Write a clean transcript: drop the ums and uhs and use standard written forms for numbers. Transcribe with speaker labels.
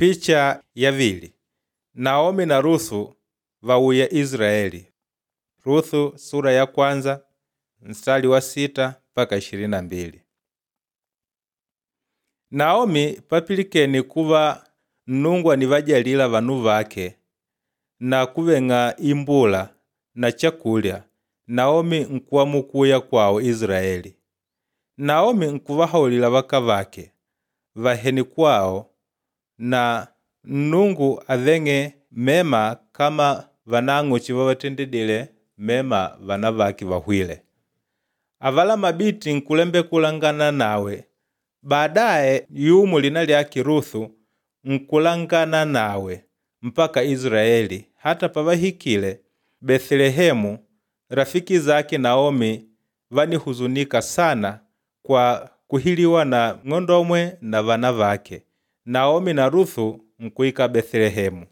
Speaker 1: Picha yavili Naomi na Ruthu vauya Israeli. Ruthu sura ya kwanza mstari wa 6 mpaka 22. Naomi papilikene kuva Nnungu anivajalila vanu vake na kuveng'a imbula na chakulya, Naomi nkuamuwa kuya kwawo Israeli. Naomi nkuvahaulila vakavake vahene kwawo na Nnungu aveng'e mema kama vanang'o chivavatendedile mema vana vake vahwîle. Avala mabiti nkulembeka kulangana nawe, baadaye yumo lina lyake Ruthu nkulangana nawe mpaka Israeli hata pavahikile Bethlehemu rafiki zake Naomi vánihuzunika sana kwa kuhiliwa na ng'ondomwe na vana vake. Naomi na Ruthu nkuika Bethlehemu.